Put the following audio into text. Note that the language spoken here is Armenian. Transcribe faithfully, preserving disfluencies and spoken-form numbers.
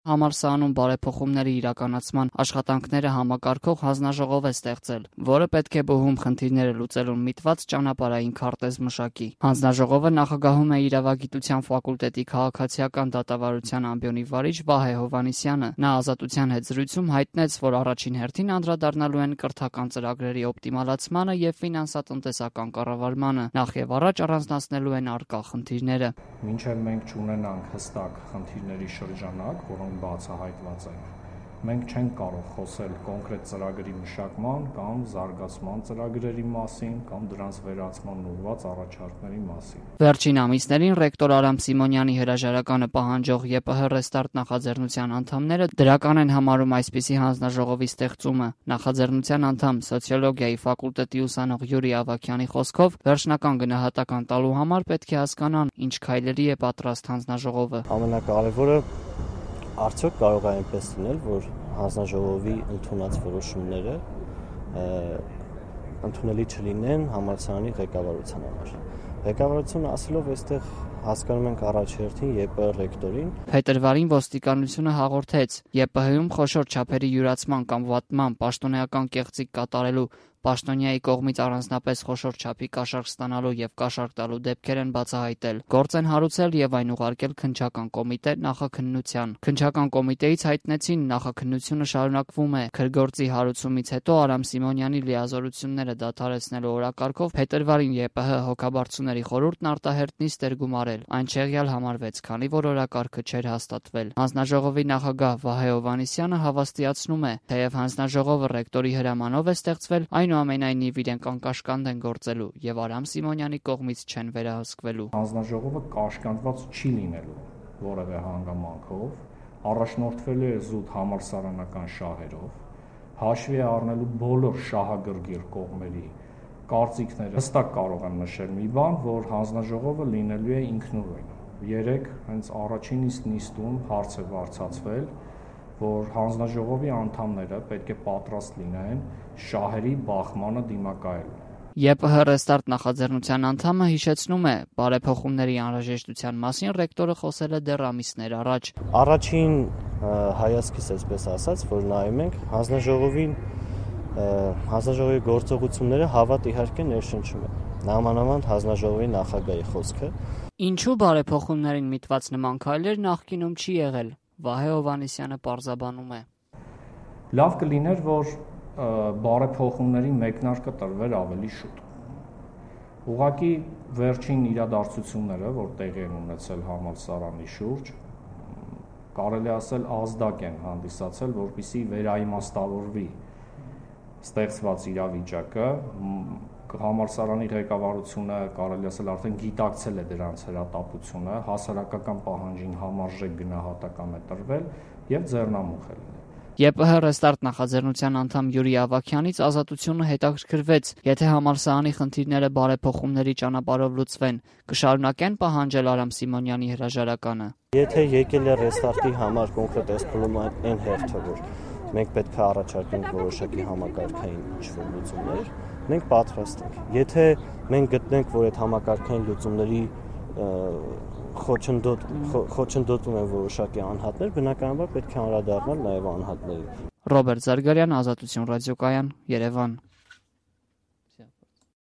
Համալսարանում բարեփոխումների իրականացման աշխատանքները համակարգող հանձնաժողով է ստեղծել, որը պետք է բուհում խնդիրները լուծելուն միտված ճանապարհային քարտեզ մշակի։ Հանձնաժողովը նախագահում է իրավագիտության ֆակուլտետի քաղաքացիական դատավարության ամբիոնի վարիչ Վահե Հովհաննիսյանը։ Նա Ազատության հետ զրույցում հայտնեց, որ առաջին հերթին անդրադառնալու են կրթական ծրագրերի օպտիմալացմանը եւ ֆինանսատնտեսական կառավարմանը, նախ եւ առաջ առանձնացնելու են առկա խնդիրները։ Մինչև մենք չունենանք հստակ խնդիրների շրջանակ, որոնք բացահայտված են, մենք չենք կարող խոսել կոնկրետ ծրագրի մշակման կամ զարգացման ծրագրերի մասին կամ դրանց վերացման ուղղված առաջարկների մասին։ Վերջին ամիսներին ռեկտոր Արամ Սիմոնյանի հրաժարականը պահանջող ԵՊՀ Ռեստարտ նախաձեռնության անդամները դրական են համարում այսպիսի հանձնաժողովի ստեղծումը։ Նախաձեռնության անդամ սոցիոլոգիայի ֆակուլտետի ուսանող Յուրի Ավագյանի խոսքով վերջնական գնահատական տալու համար պետք է հասկանան, ինչ քայլերի է պատրաստ հանձնաժողովը։ Ամենակարևորը արդյոք կարող է այնպես լինել, որ հանձնաժողովի ընդունած որոշումները ընդունելի չլինեն համալսարանի ղեկավարության համար։ Ղեկավարությունը ասելով այստեղ հասկանում ենք առաջերտին ԵՊՀ ռեկտորին։ Փետրվարին ոստիկանությունը հաղորդեց ԵՊՀ-ում խոշոր չափերի յուրացման կամ վատման պաշտոնեական կեղծիք կատարելու, պաշտոնյայի կողմից առանձնապես խոշոր չափի կաշառք ստանալու եւ կաշառք տալու դեպքեր են բացահայտել։ Գործ են հարուցել եւ այն ուղարկել քննչական կոմիտե նախաքննության։ Քննչական կոմիտեից հայտնեցին նախաքննությունը շարունակվում է։ Քրգործի հարուցումից հետո Արամ Սիմոնյանի լիազորությունները դադարեցնելու օրակարգով փետրվարին ԵՊՀ հոգաբարձուների խորհուրդն արտահերտ նիստ էր գումարել։ Այն չեղյալ համարվեց, քանի որ օրակարգը չէր հաստատվել։ Հանձնաժողովի նախագահ Վահե Հովհաննիսյանը հավաստիացնում է, թեև հանձնաժողովը ռեկտորի հրամանով է ստեղծվել, այնուամենայնիվ իրենք անկաշկանդ են գործելու եւ Արամ Սիմոնյանի կողմից չեն վերահսկվելու։ Հանձնաժողովը կաշկանդված չի լինելու որևէ հանգամանքով, առաջնորդվելու է զուտ համալսարանական շահերով, հաշվի է առնելու բոլոր շահագրգիռ կողմերի կարծիքները։ Հստակ կարող եմ նշել մի բան, որ հանձնաժողովը լինելու է ինքնուրույն։ Երեք հենց առաջին իսկ նիստում հարց է բարձրացվել, որ հանձնաժողովի անդամները պետք է պատրաստ լինեն շահերի բախմանը դիմակայելու։ ԵՊՀ Ռեստարտ նախաձեռնության անդամը հիշեցնում է, բարեփոխումների անհրաժեշտության մասին ռեկտորը խոսել է դեռ ամիսներ առաջ։ Առաջին հայացքից այսպես ասած, որ նայում ենք հանձնաժողովին, հանձնաժողովի գործողությունները հավատ իհարկե ներշնչում է։ Նամանավանդ հանձնաժողովի նախագահի խոսքը։ Ինչու բարեփոխումներին միտված նման քայլեր նախկինում չի եղել։ Վահե Հովհաննիսյանը պարզաբանում է։ Լավ կլիներ, որ բարեփոխումների մեկնարկը տրվեր ավելի շուտ։ Ուղղակի վերջին իրադարձությունները, որ տեղի են ունեցել համալսարանի շուրջ, կարելի ասել ազդակ են հանդիսացել, որպեսզի վերաիմաստավորվի ստեղծված իրավիճակը, համալսարանի ղեկավարությունը կարելի ասել արդեն գիտակցել է դրանց հրատապությունը, հասարակական պահանջին համարժեք գնահատական է տրվել եւ ձեռնամուխ է լինել։ ԵՊՀ Ռեստարտ նախաձեռնության անդամ Յուրի Ավագյանից Ազատությունը հետաքրքրվեց, եթե համալսարանի խնդիրները բարեփոխումների ճանապարհով լուծվեն, կշարունակեն պահանջել Արամ Սիմոնյանի հրաժարականը։ Եթե եկել է Ռեստարտի համար կոնկրետ այս պրոբլեմային այն հերթը, որ մենք պետք է առաջարկենք որոշակի համակարգային ինչ-որ լուծումներ, մենք պատրաստ ենք։ Եթե մենք գտնենք, որ այդ համակարգային լուծումների խոչընդոտ խոչընդոտում են որոշակի անհատներ, բնականաբար պետք է անդրադառնալ նաև անհատներին։ Ռոբերտ Զարգարյան, Ազատություն ռադիոկայան, Երևան։